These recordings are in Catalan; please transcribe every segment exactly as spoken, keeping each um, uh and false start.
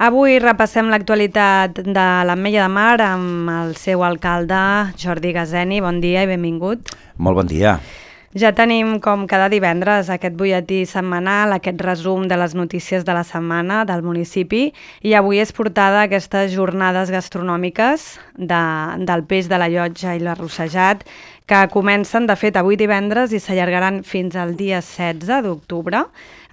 Avui repassem l'actualitat de l'Ametlla de Mar amb el seu alcalde, Jordi Gazeni. Bon dia i benvingut. Molt bon dia. Ja tenim, com cada divendres, aquest butlletí setmanal, aquest resum de les notícies de la setmana del municipi, i avui és portada aquestes jornades gastronòmiques de, del peix de la Llotja i l'arrossejat, que comencen, de fet, avui divendres i s'allargaran fins al dia setze d'octubre,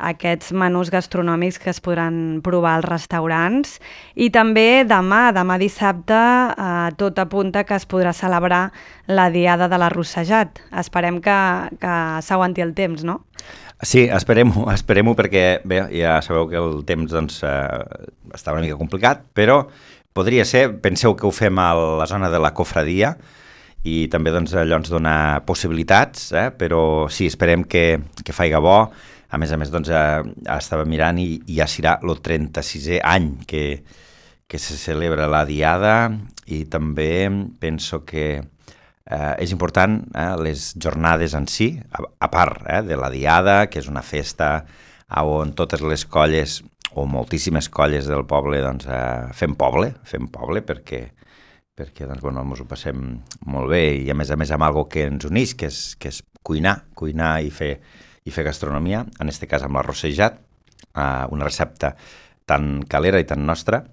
aquests menús gastronòmics que es podran provar als restaurants. I també demà, demà dissabte, eh, tot apunta que es podrà celebrar la Diada de l'Arrossejat. Esperem que, que s'aguanti el temps, no? Sí, esperem-ho, esperem-ho perquè bé, ja sabeu que el temps doncs, eh, està una mica complicat, però podria ser, penseu que ho fem a la zona de la Cofradia, i també doncs, allò ens dona possibilitats, eh? Però sí, esperem que, que faiga bo. A més a més, doncs, eh, estava mirant i, i ja serà el trenta-sisè any que, que se celebra la Diada, i també penso que eh, és important eh, les jornades en si, a, a part eh, de la Diada, que és una festa on totes les colles o moltíssimes colles del poble doncs, eh, fem poble, fem poble perquè perquè doncs, bueno, ens ho passem molt bé, i a més a més amb algo que ens uneix, que és, que és cuinar, cuinar i fer, i fer gastronomia, en aquest cas amb l'arrossejat, eh, una recepta tan calera i tan nostra,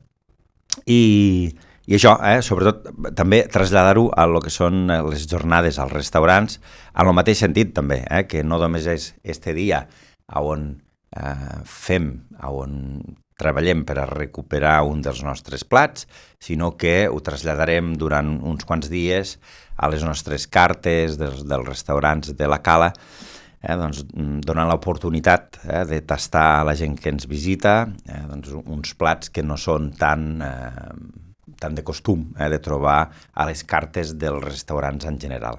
i, i això, eh, sobretot també traslladar-ho a lo que són les jornades als restaurants, en el mateix sentit també, eh, que no només és este dia on eh, fem, on treballem per a recuperar un dels nostres plats, sinó que ho traslladarem durant uns quants dies a les nostres cartes dels, dels restaurants de la Cala, eh, doncs, donant l'oportunitat eh, de tastar a la gent que ens visita eh, doncs, uns plats que no són tan, eh, tan de costum eh, de trobar a les cartes dels restaurants en general.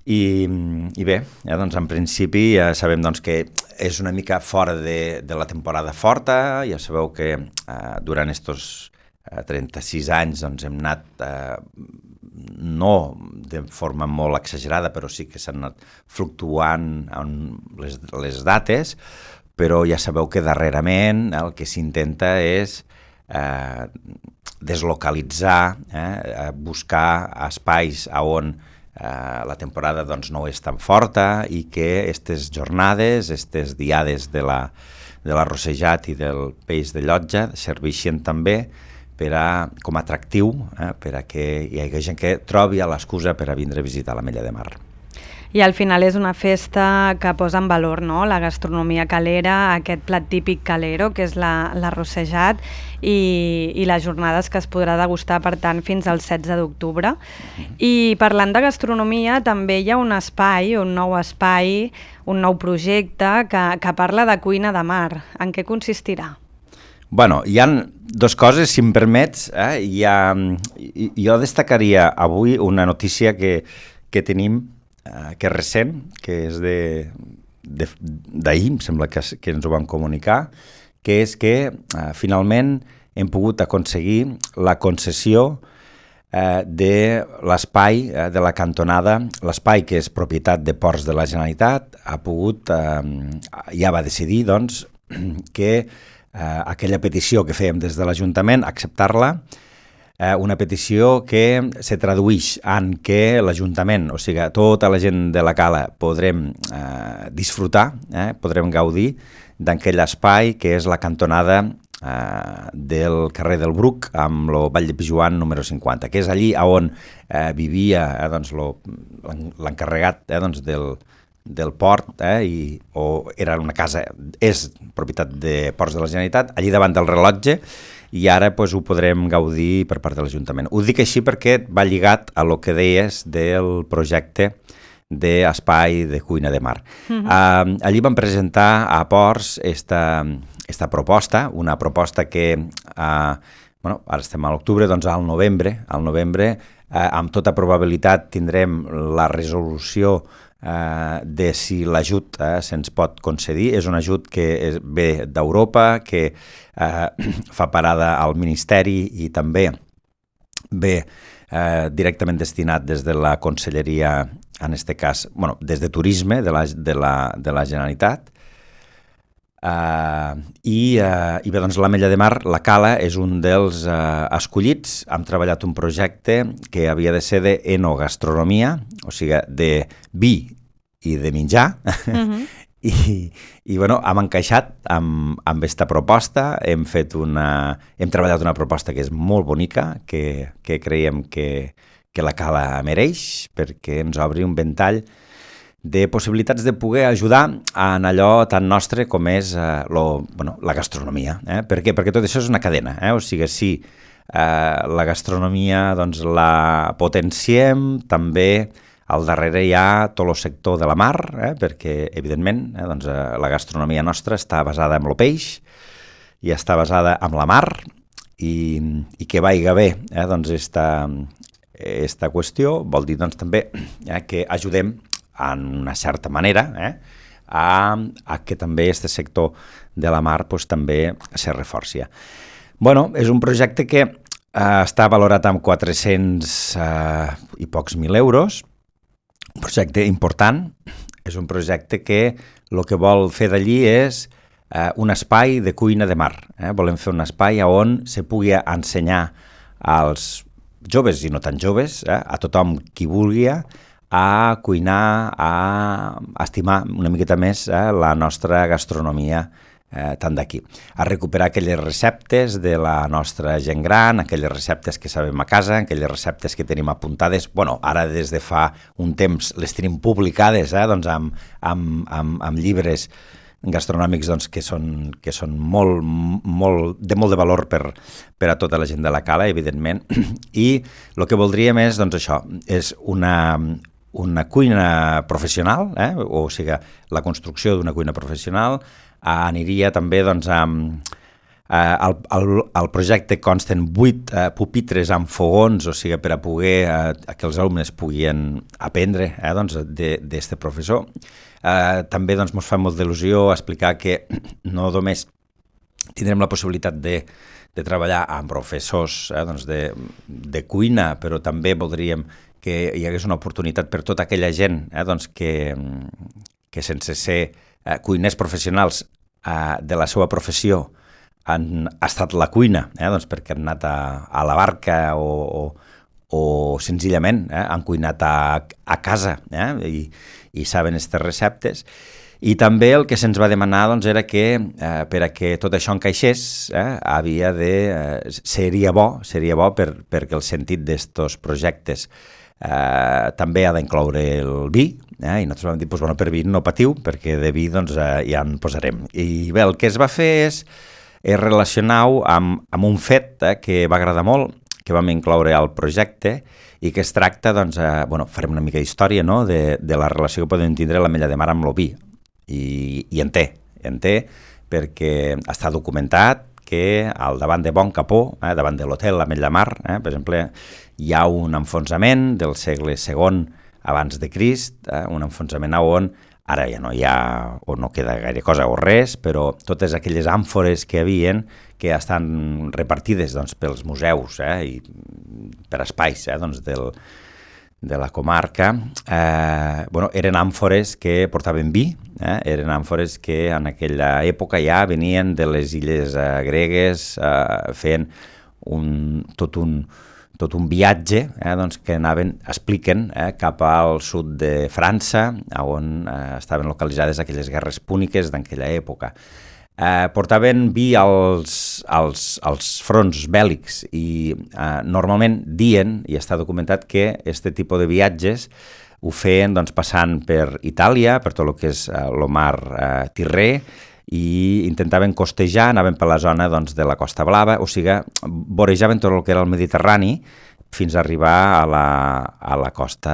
I, i bé, ja, doncs, en principi ja sabem doncs, que és una mica fora de, de la temporada forta, ja sabeu que eh, durant estos eh, trenta-sis anys doncs, hem anat, eh, no de forma molt exagerada, però sí que s'han anat fluctuant en les, les dates, però ja sabeu que darrerament el que s'intenta és eh, deslocalitzar, eh, buscar espais on Uh, la temporada doncs, no és tan forta, i que aquestes jornades, aquestes diades de la, de l'arrossejat i del peix de Llotja serveixen també per a, com a atractiu eh, per a que hi hagi gent que trobi l'excusa per a vindre a visitar l'Ametlla de Mar. I al final és una festa que posa en valor, no?, la gastronomia calera, aquest plat típic calero, que és la, l'arrossejat, i, i les jornades que es podrà degustar, per tant, fins al setze d'octubre. I parlant de gastronomia, també hi ha un espai, un nou espai, un nou projecte que, que parla de cuina de mar. En què consistirà? Bueno, hi ha dues coses, si em permets. Eh? Hi ha, jo destacaria avui una notícia que, que tenim, Uh, que és recent, que és de, de, d'ahir, em sembla que, que ens ho van comunicar, que és que uh, finalment hem pogut aconseguir la concessió uh, de l'espai uh, de la cantonada, l'espai que és propietat de Ports de la Generalitat, ha pogut, uh, ja va decidir doncs, que uh, aquella petició que fèiem des de l'Ajuntament, acceptar-la, una petició que se tradueix en què l'Ajuntament, o sigui, tota la gent de la Cala podrem eh, disfrutar, eh, podrem gaudir d'aquell espai que és la cantonada eh, del carrer del Bruc amb el Vall de Pijuan número cinquanta, que és allí on eh, vivia eh, doncs, lo, l'encarregat eh, doncs, del, del port, eh, i, o era una casa, és propietat de Ports de la Generalitat, allí davant del rellotge, i ara doncs, ho podrem gaudir per part de l'Ajuntament. Ho dic així perquè va lligat a lo que deies del projecte d'espai de cuina de mar. Uh-huh. Uh, allí vam presentar a Ports esta, esta proposta, una proposta que, uh, bueno, ara estem a l'octubre, doncs al novembre, al novembre, uh, amb tota probabilitat tindrem la resolució Uh, de si l'ajut uh, se'ns pot concedir. És un ajut que és, ve d'Europa, que uh, fa parada al Ministeri i també ve uh, directament destinat des de la Conselleria, en aquest cas, bueno, des de Turisme de la, de la, de la Generalitat. Uh, i, uh, i bé, doncs l'Ametlla de Mar, la cala, és un dels uh, escollits. Hem treballat un projecte que havia de ser d'enogastronomia, o sigui, de vi i de menjar, uh-huh. I, i bueno, hem encaixat amb, amb aquesta proposta, hem fet una, hem treballat una proposta que és molt bonica, que, que creiem que, que la cala mereix, perquè ens obri un ventall de possibilitats de poder ajudar en allò tan nostre com és eh, lo, bueno, la gastronomia. Eh? Per què? Perquè tot això és una cadena. Eh? O sigui, si eh, la gastronomia doncs, la potenciem, també al darrere hi ha tot el sector de la mar, eh? Perquè, evidentment, eh, doncs, eh, la gastronomia nostra està basada en el peix i està basada en la mar, i, i que vaiga bé eh? doncs esta, esta qüestió vol dir doncs, també eh, que ajudem en una certa manera, eh, a, a que també aquest sector de la mar pues, també se reforci. Bueno, és un projecte que eh, està valorat amb quatre-cents eh, i pocs mil euros, un projecte important, és un projecte que el que vol fer d'allí és eh, un espai de cuina de mar. Eh? Volem fer un espai on se pugui ensenyar als joves i no tan joves, eh, a tothom qui vulgui, a cuinar, a estimar una miqueta més eh, la nostra gastronomia eh, tant d'aquí. A recuperar aquelles receptes de la nostra gent gran, aquelles receptes que sabem a casa, aquelles receptes que tenim apuntades, bueno, ara des de fa un temps les tenim publicades eh, doncs amb, amb, amb, amb llibres gastronòmics doncs, que són, que són molt, molt, de molt de valor per, per a tota la gent de la cala, evidentment, i el que voldríem és, doncs això, és una... una cuina professional, eh? O sigui, la construcció d'una cuina professional, eh, aniria també doncs, amb... Eh, el, el, el projecte consten vuit eh, pupitres amb fogons, o sigui, per a poder eh, que els alumnes puguin aprendre eh, doncs, d'aquest professor. Eh, també doncs, ens fa molt d'il·lusió explicar que no només tindrem la possibilitat de, de treballar amb professors eh, doncs, de, de cuina, però també voldríem que hi hagués una oportunitat per tota aquella gent eh, doncs que, que sense ser eh, cuiners professionals eh, de la seva professió han estat la cuina, eh, doncs perquè han anat a, a la barca o, o, o senzillament eh, han cuinat a, a casa eh, i, i saben aquestes receptes. I també el que se'ns va demanar doncs, era que eh, per a que tot això encaixés eh, havia de, eh, seria bo, seria bo per, perquè el sentit d'estos projectes eh, també ha d'incloure el vi, eh, i nosaltres vam dir, doncs, bueno, per vi no patiu, perquè de vi doncs, eh, ja en posarem. I bé, el que es va fer és, és relacionar-ho amb, amb un fet eh, que va agradar molt, que vam incloure al projecte, i que es tracta, doncs, eh, bueno, farem una mica d'història, no?, de, de la relació que podem tindre l'Ametlla de Mar amb el vi. I, i en té, en té, perquè està documentat que al davant de Bon Capó, eh, davant de l'hotel l'Ametlla de Mar, eh, per exemple, hi ha un enfonsament del segle segon abans de Crist, eh, un enfonsament on ara ja no hi ha o no queda gaire cosa o res, però totes aquelles àmfores que hi havien que estan repartides doncs, pels museus eh, i per espais eh, doncs, del, de la comarca, eh, bueno, eren àmfores que portaven vi, eh, eren àmfores que en aquella època ja venien de les illes eh, gregues, eh, feien un, tot un tot un viatge eh, doncs, que anaven, expliquen, eh, cap al sud de França, on eh, estaven localitzades aquelles guerres púniques d'aquella època. Eh, portaven vi als, als, als fronts bèl·lics i eh, normalment dien, i està documentat, que aquest tipus de viatges ho feien doncs, passant per Itàlia, per tot el que és eh, el mar eh, Tirrè, i intentaven costejar, anaven per la zona doncs, de la Costa Blava, o sigui, vorejaven tot el que era el Mediterrani fins a arribar a la, a la costa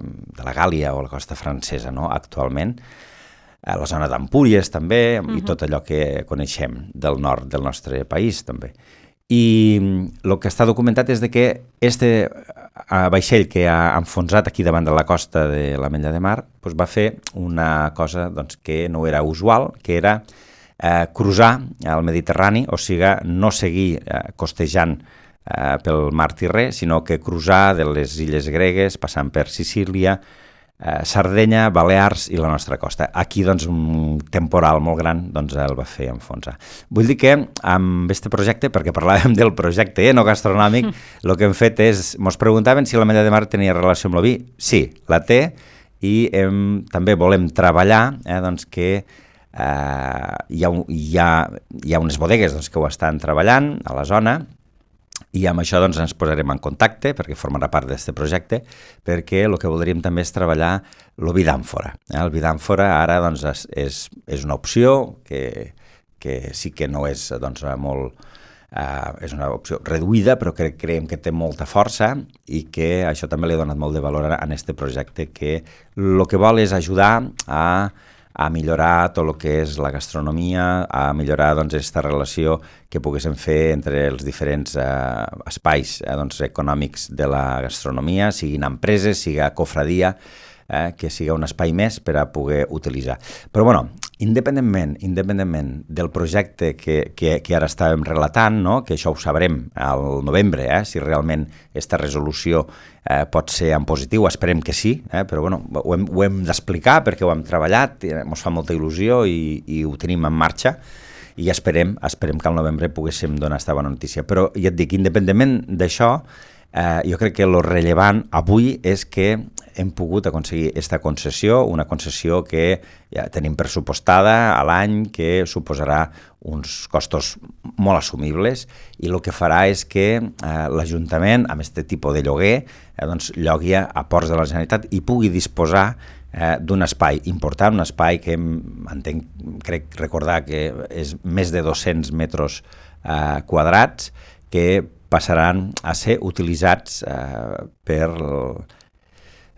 de la Gàlia o la costa francesa, no?, actualment, a la zona d'Empúries també, uh-huh. i tot allò que coneixem del nord del nostre país també. I el que està documentat és de que este vaixell que ha enfonsat aquí davant de la costa de l'Ametlla de Mar doncs va fer una cosa doncs, que no era usual, que era eh, cruzar el Mediterrani, o sigui, no seguir eh, costejant eh, pel mar Tirrè, sinó que cruzar de les illes gregues, passant per Sicília, eh, Sardenya, Balears i la nostra costa. Aquí, doncs, un temporal molt gran doncs, el va fer enfonsar. Vull dir que amb aquest projecte, perquè parlàvem del projecte enogastronòmic, el mm. que hem fet és, ens preguntaven si la Ametlla de Mar tenia relació amb l'oví. Sí, la té, i hem, també volem treballar eh, doncs, que Uh, hi, ha, hi, ha, hi ha unes bodegues doncs, que ho estan treballant a la zona i amb això doncs, ens posarem en contacte perquè formarà part d'aquest projecte, perquè el que voldríem també és treballar el vi d'àmfora. Eh? El vi d'àmfora ara doncs, és, és, és una opció que, que sí que no és doncs, molt... Uh, és una opció reduïda, però que creiem que té molta força i que això també li ha donat molt de valor a aquest projecte, que el que vol és ajudar a a millorar tot el que és la gastronomia, a millorar doncs, aquesta relació que poguéssim fer entre els diferents eh, espais eh, doncs, econòmics de la gastronomia, siguin empreses, siga cofradia, eh, que siga un espai més per a poder utilitzar. Però, bueno, independentment, independentment del projecte que, que, que ara estàvem relatant, no? Que això ho sabrem al novembre, eh? Si realment aquesta resolució eh, pot ser en positiu, esperem que sí, eh? Però bueno, ho hem, ho hem d'explicar perquè ho hem treballat, ens fa molta il·lusió i, i ho tenim en marxa i esperem, esperem que al novembre poguéssim donar aquesta bona notícia. Però ja et dic, independentment d'això, eh, jo crec que el rellevant avui és que hem pogut aconseguir aquesta concessió, una concessió que ja tenim pressupostada a l'any, que suposarà uns costos molt assumibles i el que farà és que eh, l'Ajuntament, amb aquest tipus de lloguer, eh, doncs, llogui a ports de la Generalitat i pugui disposar eh, d'un espai important, un espai que entenc, crec recordar que és més de dos-cents metres eh, quadrats que passaran a ser utilitzats eh, per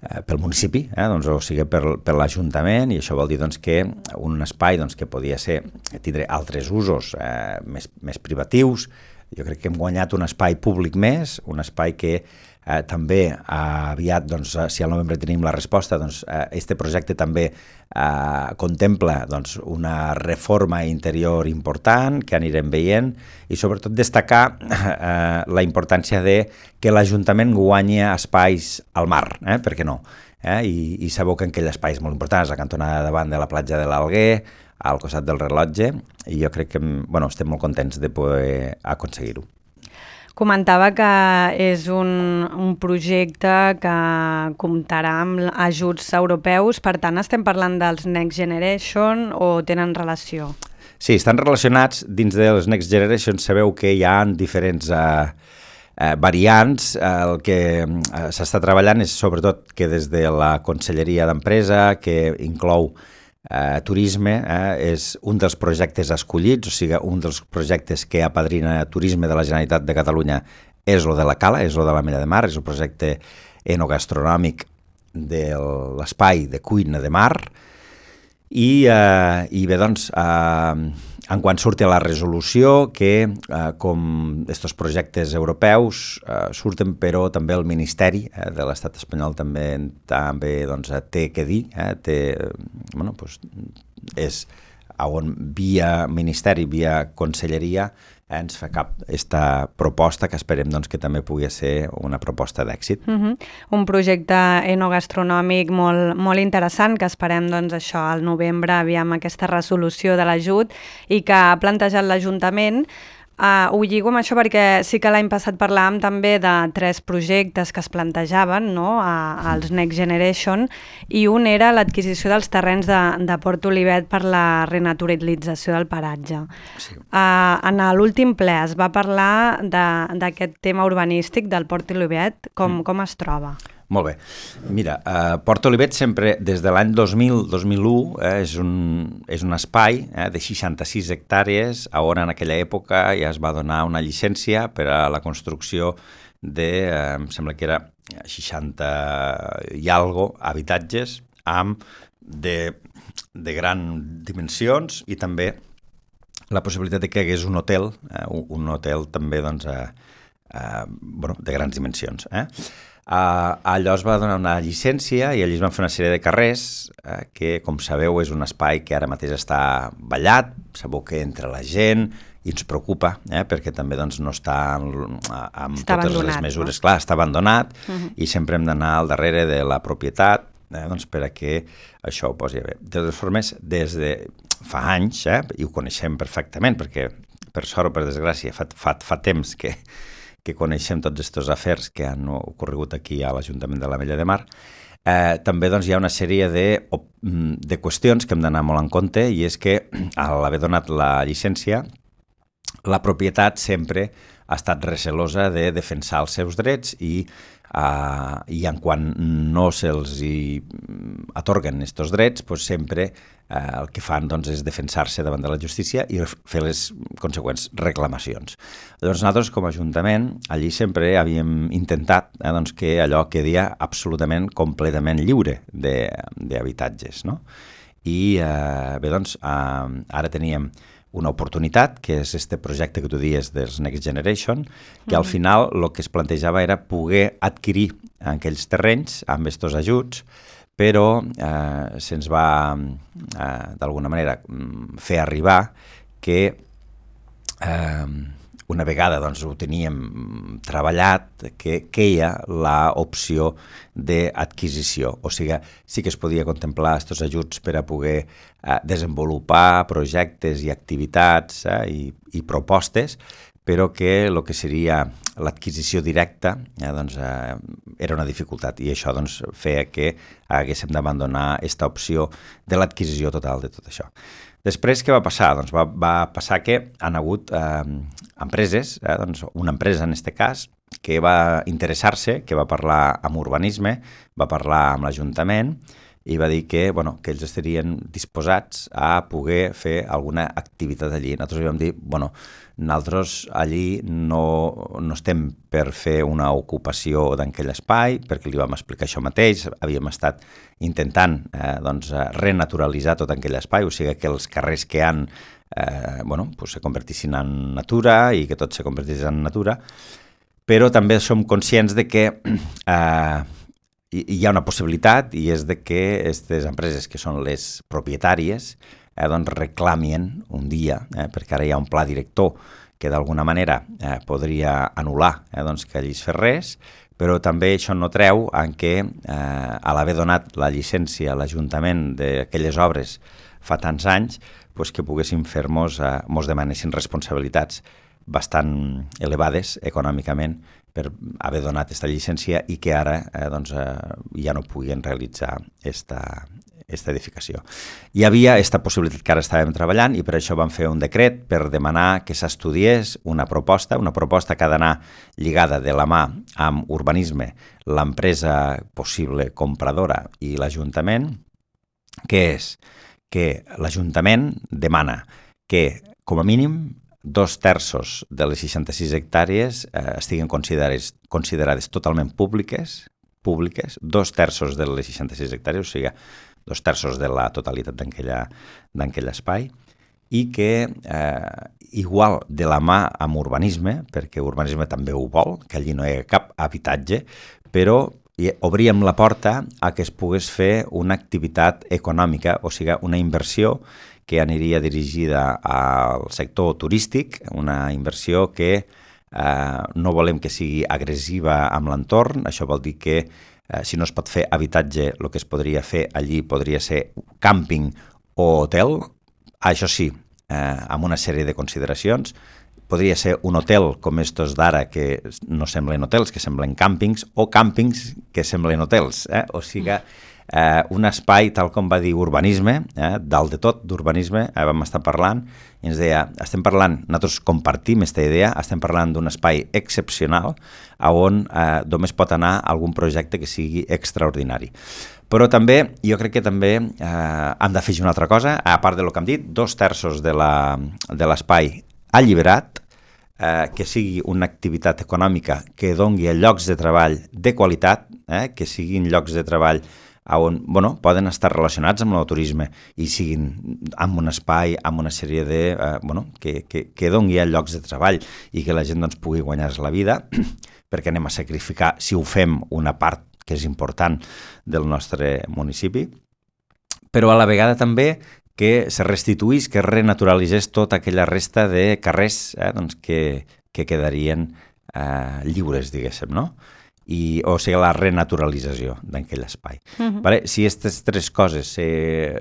pel municipi, eh? doncs, o sigui, per, per l'Ajuntament, i això vol dir doncs, que un espai doncs, que podia ser, tindre altres usos eh, més, més privatius. Jo crec que hem guanyat un espai públic més, un espai que eh, també eh, aviat, doncs, si al novembre tenim la resposta, doncs, eh, este projecte també eh, contempla doncs, una reforma interior important que anirem veient i sobretot destacar eh, la importància de que l'Ajuntament guanyi espais al mar, eh? Per què no? Eh? I, I sabeu que aquell espai és molt important, és la cantonada davant de la platja de l'Alguer, al costat del rellotge, i jo crec que bueno, estem molt contents de poder aconseguir-ho. Comentava que és un, un projecte que comptarà amb ajuts europeus, per tant estem parlant dels Next Generation o tenen relació? Sí, estan relacionats. Dins dels Next Generation sabeu que hi ha diferents eh, eh, variants. El que eh, s'està treballant és sobretot que des de la Conselleria d'Empresa, que inclou Eh, turisme, eh, és un dels projectes escollits, o sigui, un dels projectes que apadrina Turisme de la Generalitat de Catalunya és el de la Cala, és el de l'Ametlla de Mar, és el projecte enogastronòmic de l'espai de cuina de mar, i, eh, i bé, doncs, eh, en quan surti la resolució, que eh, com aquests projectes europeus eh, surten, però també el Ministeri eh, de l'Estat espanyol també, també doncs, té que dir, eh, té, bueno, doncs, és on via Ministeri, via Conselleria, eh, ens fa cap aquesta proposta que esperem doncs, que també pugui ser una proposta d'èxit. Uh-huh. Un projecte enogastronòmic molt, molt interessant que esperem doncs, això al novembre, aviam aquesta resolució de l'ajut i que ha plantejat l'Ajuntament. Uh, ho lligo amb això perquè sí que l'any passat parlàvem també de tres projectes que es plantejaven, no?, a, als Next Generation, i un era l'adquisició dels terrenys de, de Port Olivet per la renaturalització del paratge. Sí. Uh, en l'últim ple es va parlar d'aquest tema urbanístic del Port Olivet. Com, mm. com es troba? Molt bé. Mira, eh, Port Olivet sempre, des de l'any dos mil - dos mil u, eh, és, un, és un espai eh, de seixanta-sis hectàrees on en aquella època ja es va donar una llicència per a la construcció de, eh, em sembla que era seixanta i algo habitatges amb de, de grans dimensions i també la possibilitat de que hi hagués un hotel, eh, un hotel també doncs, eh, eh, bueno, de grans dimensions. Eh? Uh, allò es va donar una llicència i allí es van fer una sèrie de carrers uh, que, com sabeu, és un espai que ara mateix està ballat, sabeu que entra la gent i ens preocupa, eh, perquè també doncs, no està amb, amb està totes les mesures. No? Clar, està abandonat uh-huh. i sempre hem d'anar al darrere de la propietat eh, doncs per a que això ho posi bé. De totes formes, des de fa anys, eh, i ho coneixem perfectament, perquè per sort o per desgràcia fa, fa, fa temps que, que coneixem tots aquests afers que han ocorregut aquí a l'Ajuntament de l'Ametlla de Mar, eh, també doncs, hi ha una sèrie de, de qüestions que hem d'anar molt en compte, i és que a l'haver donat la llicència, la propietat sempre ha estat recelosa de defensar els seus drets i, uh, i en quan no se'ls hi atorguen aquests drets, doncs sempre uh, el que fan doncs, és defensar-se davant de la justícia i fer les consegüents reclamacions. Llavors nosaltres com a Ajuntament allí sempre havíem intentat eh, doncs, que allò quedia absolutament, completament lliure d'habitatges, no? I uh, bé, doncs, uh, ara teníem una oportunitat, que és este projecte que tu dies dels Next Generation, que al final el que es plantejava era poder adquirir aquells terrenys amb estos ajuts, però eh, se'ns va eh, d'alguna manera fer arribar que eh, una vegada doncs, ho teníem treballat, que queia l'opció d'adquisició. O sigui, sí que es podia contemplar aquests ajuts per a poder eh, desenvolupar projectes i activitats eh, i, i propostes, però que el que seria l'adquisició directa eh, doncs, eh, era una dificultat, i això doncs, feia que haguéssim d'abandonar aquesta opció de l'adquisició total de tot això. Després, què va passar? Doncs va, va passar que han hagut eh, empreses, eh, doncs una empresa en aquest cas, que va interessar-se, que va parlar amb urbanisme, va parlar amb l'Ajuntament i va dir que, bueno, que ells estarien disposats a poder fer alguna activitat allí. Nosaltres vam dir, bueno, nosaltres allí no, no estem per fer una ocupació d'aquell espai, perquè li vam explicar això mateix, havíem estat intentant eh, doncs, renaturalitzar tot aquell espai, o sigui que els carrers que han eh, bueno, pues se convertissin en natura i que tot se convertís en natura, però també som conscients de que eh, hi ha una possibilitat, i és de que aquestes empreses que són les propietàries eh, doncs reclamien un dia, eh, perquè ara hi ha un pla director que d'alguna manera eh, podria anul·lar eh, doncs que allí es fes res, però també això no treu en què eh, a l'haver donat la llicència a l'Ajuntament d'aquelles obres fa tants anys, doncs que poguéssim fer-nos, eh, mos demanessin responsabilitats bastant elevades econòmicament per haver donat aquesta llicència i que ara eh, doncs, eh, ja no puguin realitzar esta, esta edificació. Hi havia aquesta possibilitat que ara estàvem treballant i per això vam fer un decret per demanar que s'estudiés una proposta, una proposta que ha d'anar lligada de la mà amb urbanisme, l'empresa possible compradora i l'Ajuntament, que és que l'Ajuntament demana que, com a mínim, dos terços de les seixanta-sis hectàrees eh, estiguin considerades, considerades totalment públiques, públiques, dos terços de les seixanta-sis hectàrees, o sigui, dos terços de la totalitat d'aquell espai, i que eh, igual de la mà amb urbanisme, perquè urbanisme també ho vol, que allí no hi ha cap habitatge, però obríem la porta a que es pogués fer una activitat econòmica, o sigui, una inversió que aniria dirigida al sector turístic, una inversió que eh, no volem que sigui agressiva amb l'entorn. Això vol dir que eh, si no es pot fer habitatge, el que es podria fer allí podria ser càmping o hotel, això sí, eh, amb una sèrie de consideracions. Podria ser un hotel com estos d'ara, que no semblen hotels, que semblen càmpings, o càmpings que semblen hotels. Eh? O sigui, eh, un espai, tal com va dir urbanisme, eh, dalt de tot d'urbanisme, eh, vam estar parlant, i ens deia, estem parlant, nosaltres compartim aquesta idea, estem parlant d'un espai excepcional on eh, només pot anar algun projecte que sigui extraordinari. Però també, jo crec que també eh, hem d'afegir una altra cosa, a part del que hem dit, dos terços de l'espai alliberat, eh, que sigui una activitat econòmica que dongui llocs de treball de qualitat, eh, que siguin llocs de treball on bueno, poden estar relacionats amb el turisme i siguin amb un espai, amb una sèrie de... Eh, bueno, que, que, que dongui llocs de treball i que la gent doncs, pugui guanyar-se la vida, perquè anem a sacrificar, si ho fem, una part que és important del nostre municipi, però a la vegada també que se restituís, que es renaturalitzés tota aquella resta de carrers eh, doncs que, que quedarien eh, lliures, diguéssim, no? i, o sigui, la renaturalització d'aquell espai. Uh-huh. Vale? Si aquestes tres coses se,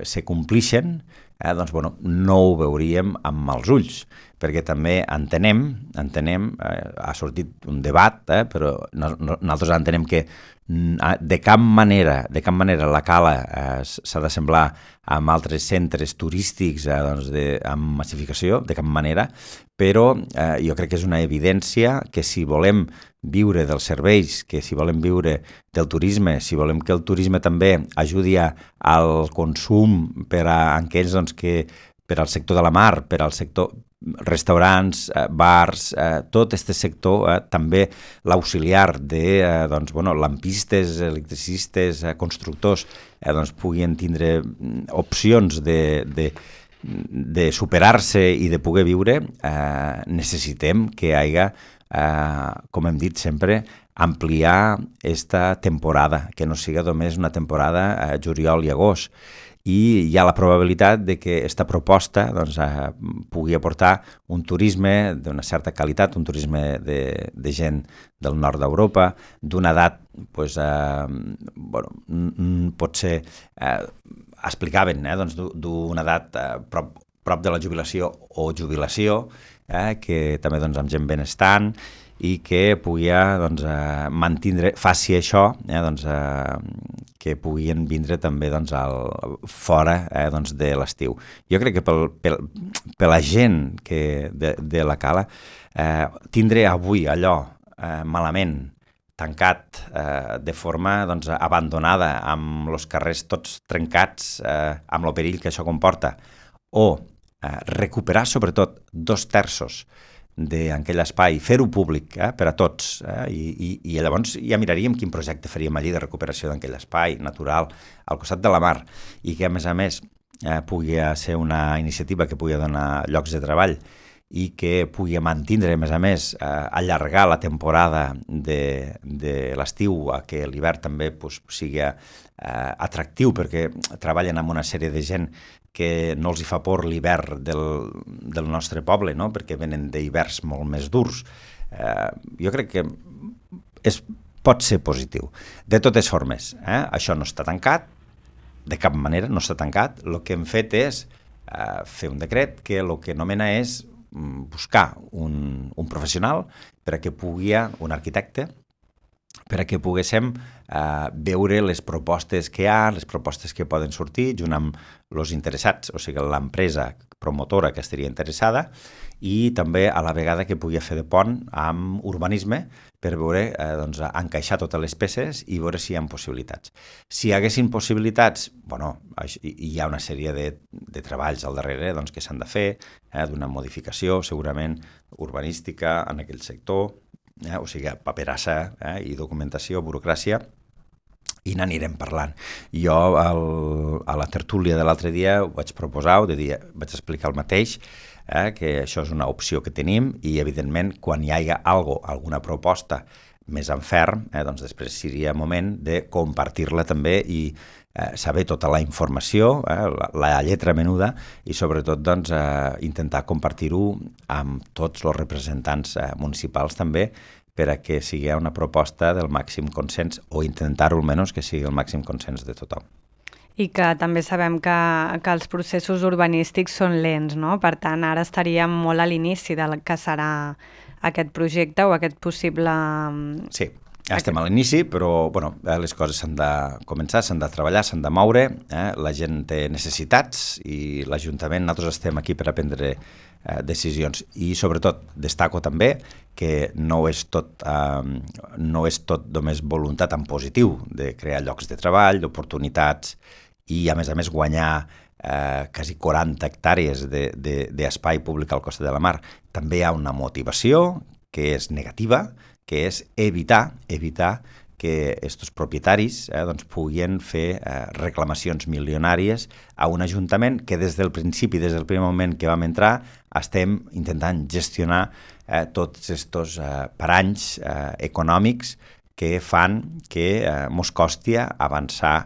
se complixen, eh, doncs bueno, no ho veuríem amb els ulls, perquè també entenem, entenem eh, ha sortit un debat, eh, però no, no, nosaltres entenem que de cap manera, de cap manera la Cala eh, s'ha de semblar amb altres centres turístics eh, doncs de, amb massificació, de cap manera, però eh, jo crec que és una evidència que si volem viure dels serveis, que si volem viure del turisme, si volem que el turisme també ajudi al consum per a aquells doncs, que per al sector de la mar, per al sector restaurants, eh, bars, eh, tot aquest sector, eh, també l'auxiliar de eh, doncs, bueno, lampistes, electricistes, eh, constructors, eh, doncs, puguin tindre opcions de, de, de superar-se i de poder viure, eh, necessitem que hi hagi, eh, com hem dit sempre, ampliar aquesta temporada, que no siga només una temporada eh, juliol i agost. I hi ha la probabilitat de que aquesta proposta doncs, eh, pugui aportar un turisme d'una certa qualitat, un turisme de, de gent del nord d'Europa, d'una edat, pues, eh, bueno, potser eh, explicaven, eh, doncs, d'una edat eh, prop, prop de la jubilació o jubilació, eh, que també doncs, amb gent benestant, i que pugui doncs, eh, mantindre, faci això, eh, doncs, eh, que puguin vindre també doncs, al, fora eh, doncs, de l'estiu. Jo crec que pel, pel, per la gent que de, de la Cala, eh, tindre avui allò eh, malament, tancat eh, de forma doncs, abandonada, amb els carrers tots trencats, eh, amb el perill que això comporta, o eh, recuperar sobretot dos terços d'aquell espai, fer-ho públic eh, per a tots, eh, i, i, i llavors ja miraríem quin projecte faríem allí de recuperació d'aquell espai natural al costat de la mar, i que a més a més eh, pugui ser una iniciativa que pugui donar llocs de treball i que pugui mantindre, a més a més, eh, allargar la temporada de, de l'estiu a que l'hivern també pues, sigui eh, atractiu, perquè treballen amb una sèrie de gent que no els hi fa por l'hivern del, del nostre poble, no? Perquè venen d'hiverns molt més durs. Eh, jo crec que és, pot ser positiu. De totes formes, eh, això no està tancat, de cap manera no està tancat. El que hem fet és eh, fer un decret que el que nomena és buscar un, un professional per a que pugui, un arquitecte, per a que poguéssim eh, veure les propostes que hi ha, les propostes que poden sortir, junt amb els interessats, o sigui, l'empresa promotora que estaria interessada, i també a la vegada que pugui fer de pont amb urbanisme per veure, eh, doncs, encaixar totes les peces i veure si hi ha possibilitats. Si hi haguessin possibilitats, bueno, hi ha una sèrie de, de treballs al darrere doncs, que s'han de fer, eh, d'una modificació segurament urbanística en aquell sector, Eh, o sigui, paperassa eh, i documentació, burocràcia, i n'anirem parlant. Jo el, a la tertúlia de l'altre dia ho vaig proposar, ho de dir, vaig explicar el mateix, eh, que això és una opció que tenim i, evidentment, quan hi hagi algo, alguna proposta més en ferm, eh, doncs després seria moment de compartir-la també i eh, saber tota la informació, eh, la, la lletra menuda, i sobretot doncs, eh, intentar compartir-ho amb tots els representants eh, municipals també, per a que sigui una proposta del màxim consens, o intentar-ho almenys que sigui el màxim consens de tothom. I que també sabem que, que els processos urbanístics són lents, no? Per tant, ara estaríem molt a l'inici del que serà aquest projecte o aquest possible... Sí, estem a l'inici, però bueno, les coses s'han de començar, s'han de treballar, s'han de moure, eh? La gent té necessitats i l'Ajuntament, nosaltres estem aquí per a prendre eh, decisions, i sobretot destaco també que no és tot, eh, no és tot només voluntat en positiu de crear llocs de treball, d'oportunitats, i a més a més guanyar eh, quasi quaranta hectàrees d'espai públic al costat de la mar. També hi ha una motivació que és negativa, que és evitar, evitar que aquests propietaris eh, doncs, puguin fer eh, reclamacions milionàries a un ajuntament que des del principi, des del primer moment que vam entrar, estem intentant gestionar eh, tots aquests eh, paranys eh, econòmics que fan que eh, mos costi avançar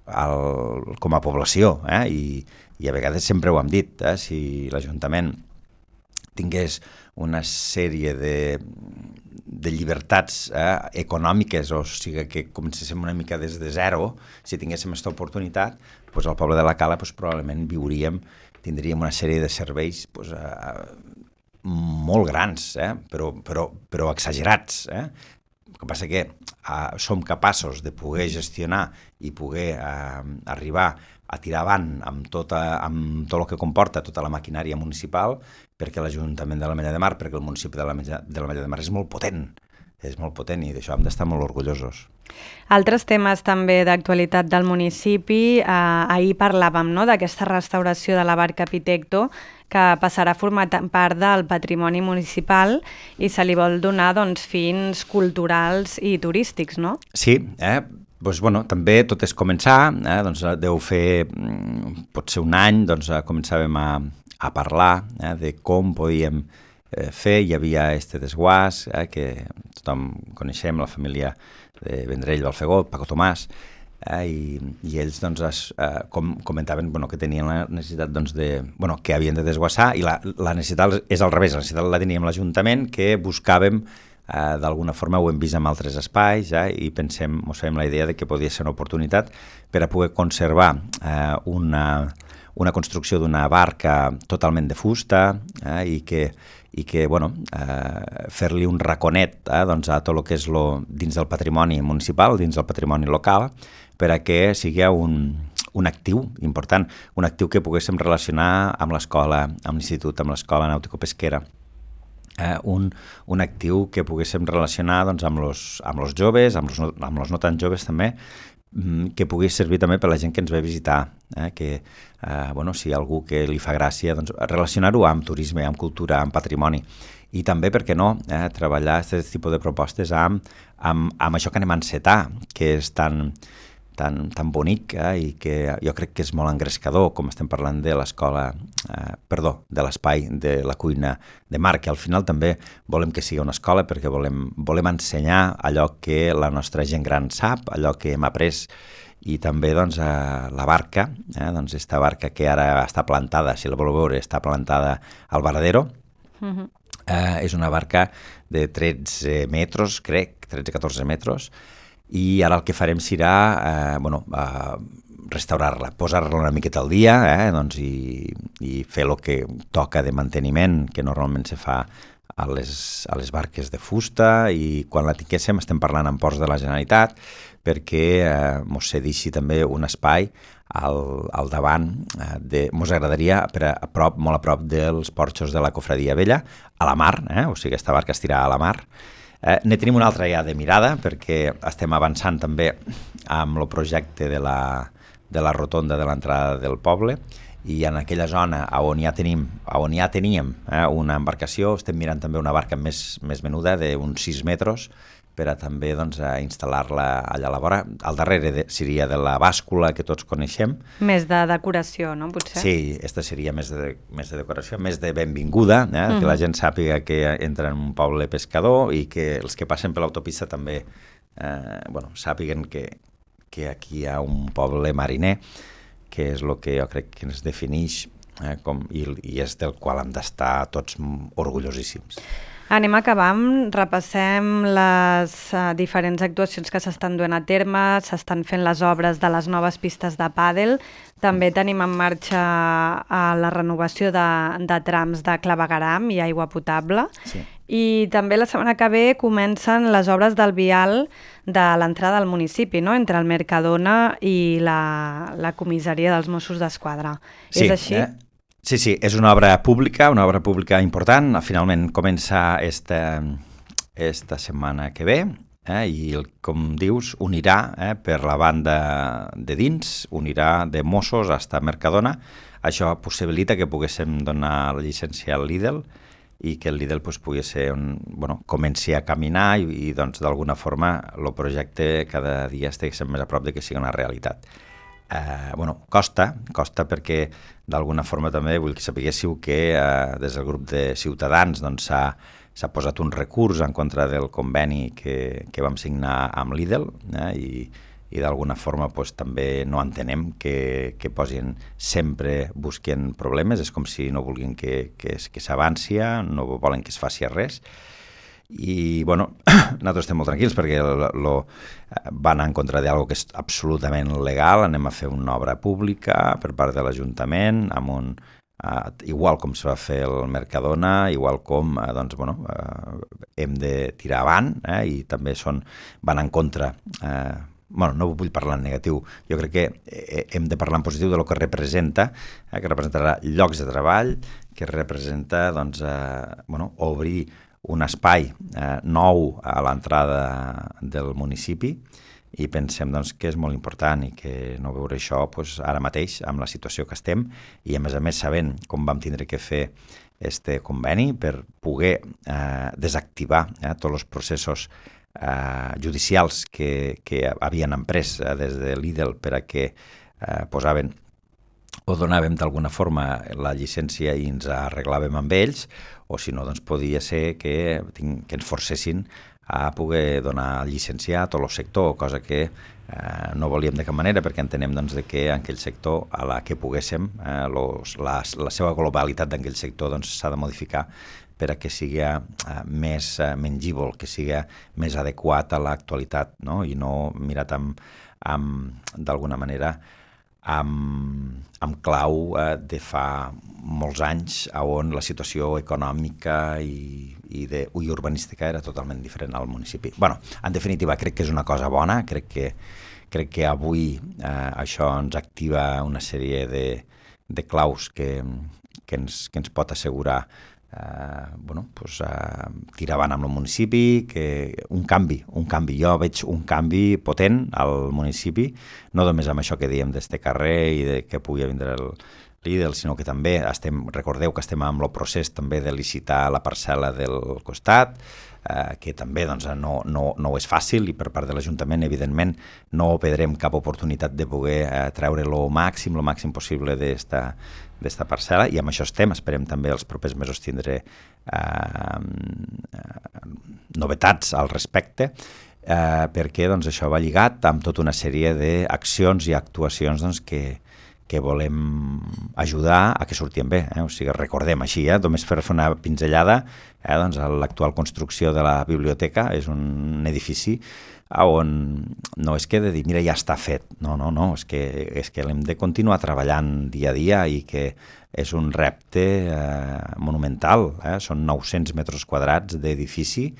el, com a població, eh? I, i a vegades sempre ho hem dit, eh? Si l'Ajuntament tingués una sèrie de, de llibertats eh, econòmiques, o sigui que comencéssim una mica des de zero, si tinguéssim aquesta oportunitat, doncs al poble de la Cala doncs, probablement viuríem, tindríem una sèrie de serveis doncs, eh, molt grans, eh, però, però, però exagerats. Eh? El que passa que eh, som capaços de poder gestionar i poder eh, arribar a tirar avant amb, tota, amb tot el que comporta tota la maquinària municipal, perquè l'Ajuntament de l'Ametlla de Mar, perquè el municipi de l'Ametlla de l'Ametlla de Mar és molt potent, és molt potent i d'això hem d'estar molt orgullosos. Altres temes també d'actualitat del municipi, eh, ahir parlàvem no, d'aquesta restauració de la barca Pitecto, que passarà a formar part del patrimoni municipal i se li vol donar doncs, fins culturals i turístics, no? Sí, eh? Doncs, bueno, també tot és començar, eh? doncs, deu fer potser un any, doncs, començàvem a, a parlar eh? de com podíem eh, fer. Hi havia este desguàs, eh? que tothom coneixem, la família de Vendrell, Balfegó, Paco Tomàs, eh? I, i ells doncs, es, eh, com, comentaven bueno, que tenien la necessitat doncs, de, bueno, que havien de desguassar, i la, la necessitat és al revés, la necessitat la teníem l'Ajuntament, que buscàvem Uh, d'alguna forma ho hem vist en altres espais eh, i pensem, mos fem la idea de que podia ser una oportunitat per a poder conservar uh, una, una construcció d'una barca totalment de fusta eh, i que, i que bueno, uh, fer-li un raconet eh, doncs, a tot el que és lo, dins del patrimoni municipal, dins del patrimoni local, per a que sigui un, un actiu important, un actiu que poguéssim relacionar amb l'escola, amb l'institut, amb l'escola nàutico-pesquera. Eh, un, un actiu que poguéssim relacionar doncs, amb els amb los joves, amb els no, amb los no tan joves també, que pugui servir també per la gent que ens ve a visitar, eh, que eh, bueno, si hi ha algú que li fa gràcia, doncs, relacionar-ho amb turisme, amb cultura, amb patrimoni. I també, per què no, eh, treballar aquest tipus de propostes amb, amb, amb això que anem a encetar, que és tan, tan, tan bonic eh, i que jo crec que és molt engrescador, com estem parlant de l'escola, eh, perdó, de l'espai de la cuina de mar, que al final també volem que sigui una escola perquè volem, volem ensenyar allò que la nostra gent gran sap, allò que hem après, i també doncs, eh, la barca, eh, doncs esta barca que ara està plantada, si la voleu veure, està plantada al Varadero, uh-huh. eh, és una barca de tretze metres, crec, tretze a catorze metres, i ara el que farem serà eh, bueno, eh, restaurar-la, posar-la una miqueta al dia eh, doncs, i, i fer el que toca de manteniment, que normalment se fa a les, a les barques de fusta, i quan la tinguéssim estem parlant amb ports de la Generalitat perquè eh, mos cedixi també un espai al, al davant, eh, de, mos agradaria per a, a prop, molt a prop dels porxos de la Cofradia Vella, a la mar, eh, o sigui, aquesta barca estirà a la mar. Eh, ne tenim una altra ja de mirada perquè estem avançant també amb el projecte de la, de la rotonda de l'entrada del poble, i en aquella zona on ja tenim, on ja teníem eh, una embarcació, estem mirant també una barca més, més menuda d'uns sis metres per a també doncs, a instal·lar-la allà a la vora. Al darrere de, seria de la bàscula que tots coneixem. Més de decoració, no? Potser? Sí, aquesta seria més de, més de decoració, més de benvinguda, eh? Mm-hmm. Que la gent sàpiga que entra en un poble pescador i que els que passen per l'autopista també eh, bueno, sàpiguen que, que aquí hi ha un poble mariner, que és el que jo crec que ens defineix eh, com, i, i és del qual hem d'estar tots orgullosíssims. Anem acabant, repassem les uh, diferents actuacions que s'estan duent a terme, s'estan fent les obres de les noves pistes de pàdel, també tenim en marxa uh, la renovació de, de trams de clavegueram i aigua potable, sí. I també la setmana que ve comencen les obres del vial de l'entrada al municipi, no? Entre el Mercadona i la, la comissaria dels Mossos d'Esquadra. Sí, és així? Eh? Sí, sí, és una obra pública, una obra pública important. Finalment comença esta, esta setmana que ve eh, i, com dius, unirà eh, per la banda de dins, unirà de Mossos fins a Mercadona. Això possibilita que poguéssim donar la llicència al Lidl i que el Lidl pues, pugui ser un, bueno, comenci a caminar i, i doncs, d'alguna forma el projecte cada dia estigués més a prop de que sigui una realitat. Eh, bueno, costa, costa perquè d'alguna forma també vull que sapiguéssiu que eh, des del grup de Ciutadans doncs, s'ha, s'ha posat un recurs en contra del conveni que, que vam signar amb Lidl eh, i, i d'alguna forma doncs, també no entenem que, que posin sempre busquen problemes, és com si no vulguin que, que, que s'avanci, no volen que es faci res. i bueno, nosaltres estem molt tranquils perquè lo, lo, van en contra d'algo que és absolutament legal, anem a fer una obra pública per part de l'Ajuntament, amb un, uh, igual com se va fer el Mercadona, igual com uh, doncs, bueno, uh, hem de tirar avant, eh, i també són, van en contra, eh, bueno, no vull parlar en negatiu, jo crec que hem de parlar en positiu de lo que representa, eh, que representarà llocs de treball, que representa doncs, eh, bueno, obrir un espai eh, nou a l'entrada del municipi, i pensem doncs, que és molt important i que no veure això doncs, ara mateix amb la situació que estem, i a més a més sabent com vam tindre que fer este conveni per poder eh, desactivar eh, tots els processos Uh, judicials que, que havien emprès uh, des de l'I D E L per a que uh, posaven o donàvem d'alguna forma la llicència i ens arreglàvem amb ells, o si no, doncs podia ser que, que ens forcessin a poder donar llicència a tot el sector, cosa que eh, no volíem de cap manera, perquè entenem doncs, de que en aquell sector, a la que poguéssim, eh, los, la, la seva globalitat d'aquell sector doncs, s'ha de modificar per a que sigui eh, més eh, mengível, que sigui més adequat a l'actualitat, no? I no mirat amb, amb d'alguna manera amb, amb clau eh, de fa molts anys on la situació econòmica i, i, de, i urbanística era totalment diferent al municipi. Bueno, en definitiva, crec que és una cosa bona, crec que, crec que avui eh, això ens activa una sèrie de, de claus que, que, ens, que ens pot assegurar Uh, bueno, pues, uh, tirar avant amb el municipi, que un canvi, un canvi. Jo veig un canvi potent al municipi, no només amb això que diem d'este carrer i de que pugui vindre el l'I D E L, sinó que també estem, recordeu que estem amb el procés també de licitar la parcel·la del costat, uh, que també doncs, no, no, no és fàcil, i per part de l'Ajuntament, evidentment, no perdrem cap oportunitat de poder uh, treure el màxim, el màxim possible d'esta d'esta parcel·la, i amb això estem, esperem també els propers mesos tindre eh, novetats al respecte, eh, perquè doncs, això va lligat amb tota una sèrie d'accions i actuacions doncs, que, que volem ajudar a que surtin bé. Eh? O sigui, recordem així, eh? només per fer una pinzellada, eh? doncs, l'actual construcció de la biblioteca és un edifici on no és que de dir, mira, ja està fet, no, no, no, és que, és que l'hem de continuar treballant dia a dia i que és un repte eh, monumental, eh? Són nou-cents metres quadrats d'edifici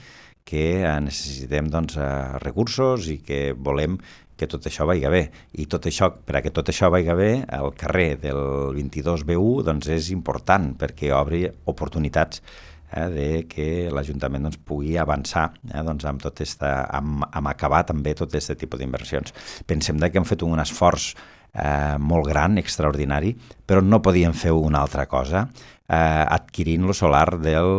que eh, necessitem doncs, eh, recursos i que volem que tot això vagi bé. I tot això, per a que tot això vagi bé, el carrer del vint-i-dos B u doncs, és important perquè obri oportunitats Eh, de que l'Ajuntament doncs, pugui avançar eh, doncs, amb, tot esta, amb, amb acabar també tot aquest tipus d'inversions. Pensem que hem fet un esforç eh, molt gran, extraordinari, però no podíem fer una altra cosa eh, adquirint lo solar del,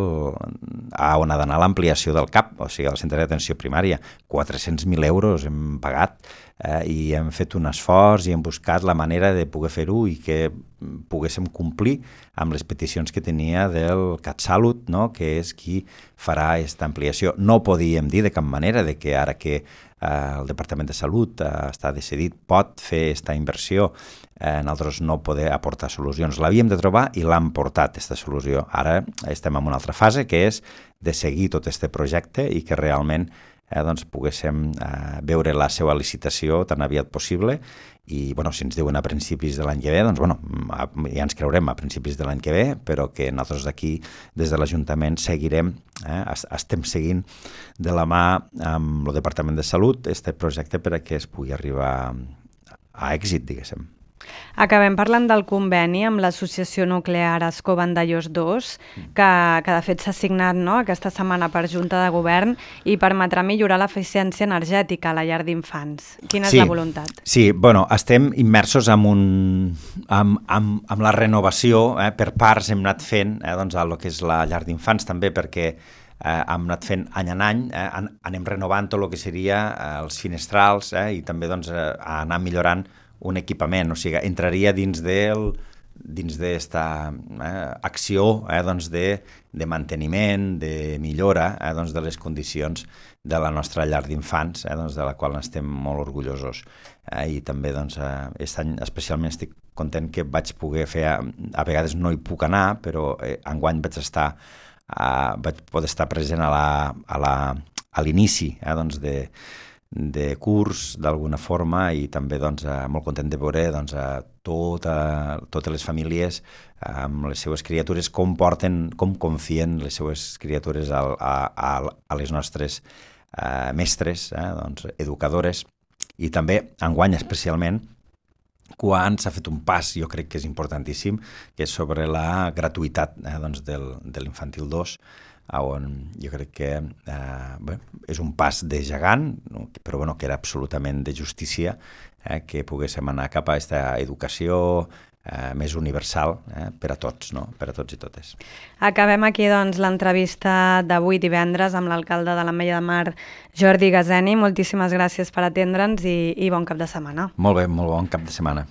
a on ha d'anar l'ampliació del C A P, o sigui, el centre d'atenció primària. quatre-cents mil euros hem pagat eh, i hem fet un esforç i hem buscat la manera de poder fer-ho i que poguéssim complir amb les peticions que tenia del CatSalut, no? Que és qui farà aquesta ampliació. No podíem dir de cap manera de que ara que eh, el Departament de Salut eh, està decidit, pot fer aquesta inversió, eh, nosaltres no poder aportar solucions. L'havíem de trobar i l'hem portat, aquesta solució. Ara estem en una altra fase, que és de seguir tot aquest projecte i que realment eh, doncs, poguéssim eh, veure la seva licitació tan aviat possible. I bueno, si ens diuen a principis de l'any que ve, doncs bueno, ja ens creurem a principis de l'any que ve, però que nosaltres d'aquí, des de l'Ajuntament, seguirem, eh, estem seguint de la mà amb el Departament de Salut aquest projecte per a que es pugui arribar a èxit, diguéssim. Acabem parlant del conveni amb l'Associació Nuclear Ascó Vandellòs dos, que, que de fet s'ha signat no, aquesta setmana per Junta de Govern i permetrà millorar l'eficiència energètica a la llar d'infants. Quina sí, és la voluntat? Sí, bueno, estem immersos en, un, en, en, en la renovació, eh, per parts hem anat fent eh, doncs, el que és la llar d'infants també, perquè Eh, hem anat fent any en any, eh, an, anem renovant tot el que seria eh, els finestrals eh, i també doncs, eh, anar millorant un equipament, o sigui, entraria dins del dins d'esta eh, acció eh, doncs de, de manteniment, de millora eh, doncs de les condicions de la nostra llar d'infants, eh, doncs de la qual estem molt orgullosos. Eh, I també doncs, eh, aquest any especialment estic content que vaig poder fer, a, a vegades no hi puc anar, però eh, enguany vaig estar uh, vaig poder estar present a la, a la, a l'inici eh, doncs de, de curs d'alguna forma i també doncs, uh, molt content de veure doncs, uh, tota, totes les famílies uh, amb les seues criatures, com porten, com confien les seues criatures a, a, a, a les nostres uh, mestres, eh, doncs, educadores, i també enguany especialment quan s'ha fet un pas, jo crec que és importantíssim, que és sobre la gratuïtat eh, doncs del, de l'infantil dos, on jo crec que eh, bé, és un pas de gegant, però bueno, que era absolutament de justícia eh, que poguéssim anar cap a aquesta educació eh, més universal eh, per a tots, no? Per a tots i totes. Acabem aquí doncs, l'entrevista d'avui divendres amb l'alcalde de l'Ametlla de Mar, Jordi Gazeni. Moltíssimes gràcies per atendre'ns i, i bon cap de setmana. Molt bé, molt bon cap de setmana.